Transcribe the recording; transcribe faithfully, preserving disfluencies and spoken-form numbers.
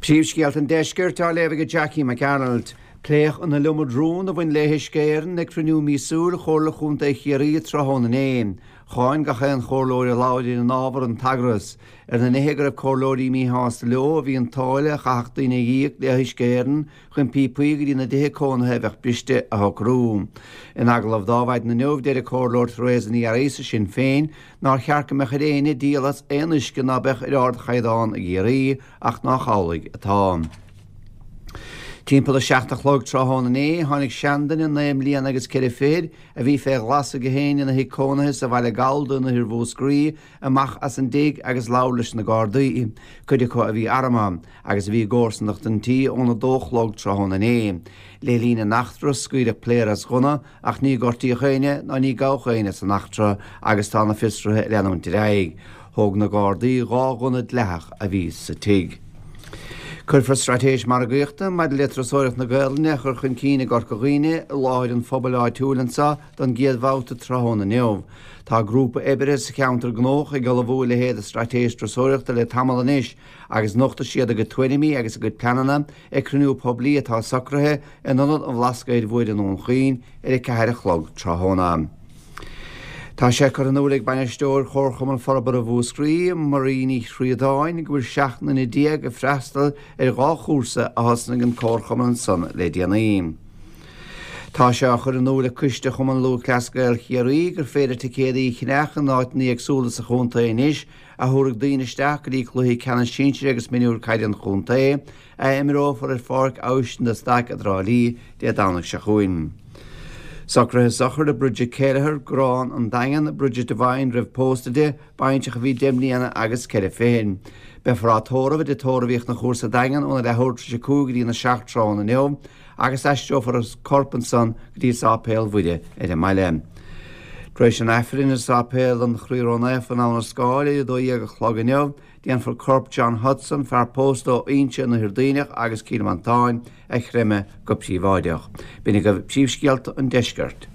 Príomhscéalta an Deiscirt á léamh ag Jackie McArnold. Pléadh an iliomad rún a bhain le hUisce Éireann ag cruinniú míosúil Chomhairle Chontae Chiarraí tráthnóna inné. Cháin gach aon chomhairleoir a labhair ar an ábhar an t-eagras. Ar na nithe go raibh comhairleoirí míshásta leo a bhí an táille a chaithfeadh daoine a íoc le hUisce Éireann chun píopaí go dtí na dtithe cónaithe a bheadh briste a shocrú. In agallamh dá mhaidin inniu deir an comhairleoir Theresa Ní Fhearraigh Sinn Féin nár cheart go mbeadh ar éinne díol as aon uisce ná beadh ar ardchaighdeán i gCiarraí ach nach amhlaidh atá. Timpeall a seacht a chlog tráthnóna inné tháinig seanduine naoi mbliana agus ceithre fichid a bhí fé ghlas aige féin ina thigh cónaithe sa bhaile Gallda in oirthear Mhúscraí amach as an dtigh agus labhair leis na Gardaí, cuid acu a bhí armtha, agus a bhí i gcomharsanacht an tí óna dó chlog tráthnóna inné. Le linn an eachtra scaoileadh pléar as gunna ach ní gortaíodh éinne ná ní gabhadh éinne san eachtra agus tá na fiosruithe ag leanúint ar aghaidh. Thóg na Gardaí dhá ghunna dleathach a bhí sa tigh. Cuirfear straitéis margaíochta maidir le turasóireacht na Gaelainne a chur chun cinn i gCorca Dhuibhne i láthair an phobail áitiúil anseo don gcéad bhabhta tráthnóna inniu. Tá grúpa oibre sa cheantar gnóthach ag ullmhú a leithéid de straitéis turasóireachta le tamall anois agus nochtfaidh siad a gcuid tuairimí agus a gcuid pleananna ag cruinniú poiblí atá socraithe in Ionad an Bhlascaoid Mhóir i nDún Chaoin ar a ceathair a chlog tráthnóna. Tá sé curtha in iúl ag bainisteoir Chomharchumann Forbartha Mhúscraí, Marie Ní Chríodáin, go bhfuil seacht nduine déag ag freastal ar dhá chúrsa a thosnaigh an Comharchumann ansan le déanaí. Tá sé á chur in iúl ag Coiste Chumann Lúthchleas Gael Chiarraí gur féidir ticéadaí a cheannach in áiteanna éagsúla sa chontae anois a thabharfaidh daoine isteach go dtí cluichí ceannais sinsir agus mionúir caide an chontae a imreofar ar Pháirc Abhaistín de Staic i dTrá Lí Dé Domhnaigh seo chugainn. Socruithe sochraide Bridget Kelleher, Grán an Daingean, Bridget Devine roimh pósadh di, baintreach a bhí deich mbliana agus ceithre fichid. Beifear á tórramh i dTigh Tórraimh Fhiachna Chóir sa Daingean óna leathuair tar éis a cúig go dtí na seacht tráthnóna inniu agus aistreofar an corp ansan go dtí Sáipéal Mhuire ar an mbaile. Tar éis an Aifrinn i Sáipéal an Chroí Ró-Naofa in Abha na Scáil ar a dó dhéag a chlog inniu, déanfar corp John Hudson, fear pósta ó Inse in Oirthear Duibhneach agus Cill Mhantáin a chreimeadh go príobháideach. B'in agaibh príomhscéalta an deiscirt.